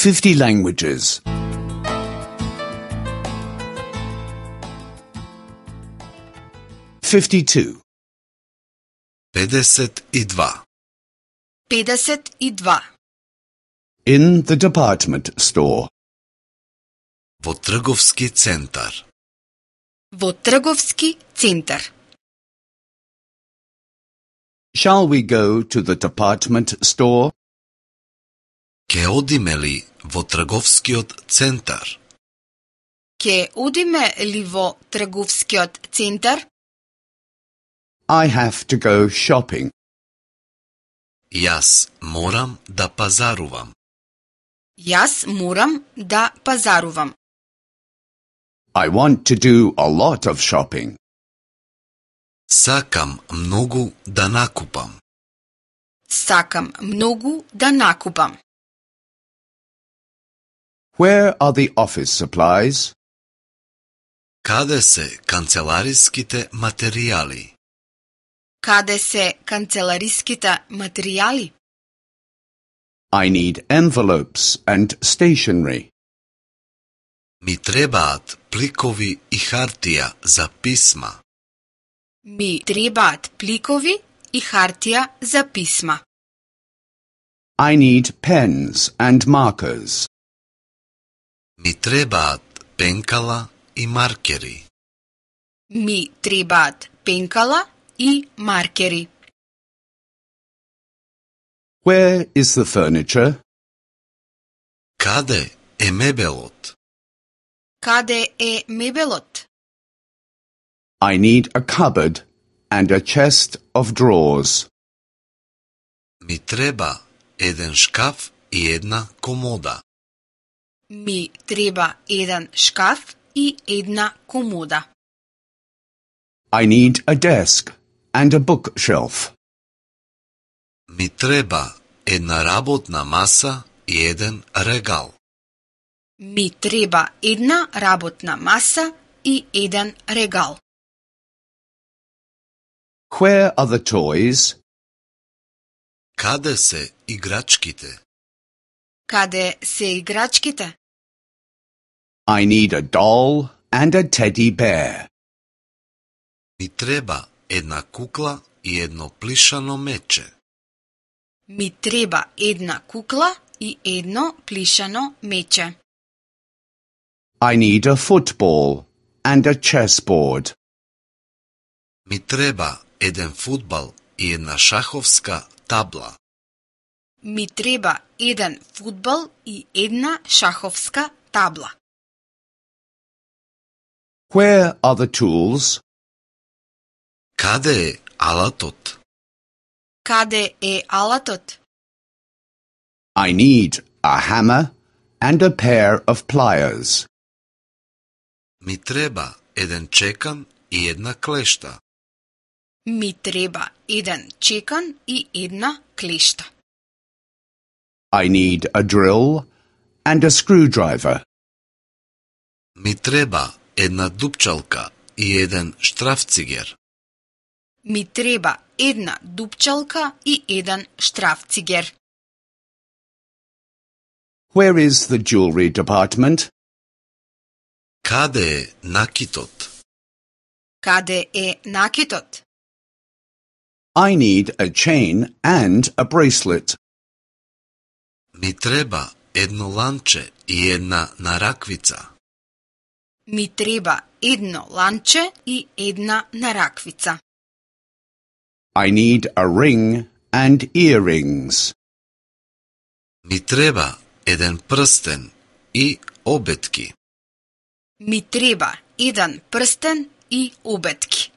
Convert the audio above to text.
50 languages. 52. 52. 52. In the department store. Во трговски центар. Во трговски центар. Shall we go to the department store? Ке одиме ли во трговскиот центар? Ке одиме ли во трговскиот центар? I have to go shopping. Јас морам да пазарувам. Јас морам да пазарувам. I want to do a lot of shopping. Сакам многу да накупам. Сакам многу да накупам. Where are the office supplies? Каде се канцелариските материјали? Каде се канцелариските материјали? I need envelopes and stationery. Ми требаат пликови и хартија за писма. Ми требаат пликови и хартија за писма. I need pens and markers. Ми требаат пенкала и маркери. Ми требаат пенкала и маркери. Where is the furniture? Каде е мебелот? Каде е мебелот? I need a cupboard and a chest of drawers. Ми треба еден шкаф и една комода. Ми треба еден шкаф и една комода. I need a desk and a bookshelf. Ми треба една работна маса и еден регал. Ми треба една работна маса и еден регал. Where are the toys? Каде се играчките? Каде се играчките? I need a doll and a teddy bear. Ми треба една кукла и едно плишано мече. Ми треба една кукла и едно плишано мече. I need a football and a chessboard. Ми треба еден фудбал и една шаховска табла. Ми треба еден фудбал и една шаховска табла. Where are the tools? Каде е алатот? Каде е алатот? I need a hammer and a pair of pliers. Ми треба еден чекан и една клешта. Ми треба еден чекан и една клешта. I need a drill and a screwdriver. Ми треба една дупчалка и еден штрафцигер. Ми треба една дупчалка и еден штрафцигер. Where is the jewelry department? Каде е накитот? Каде е накитот? I need a chain and a bracelet. Ми треба едно ланче и една нараквица. Ми треба едно ланче и една нараквица. I need a ring and earrings. Ми треба еден прстен и обетки. Ми треба еден прстен и обетки.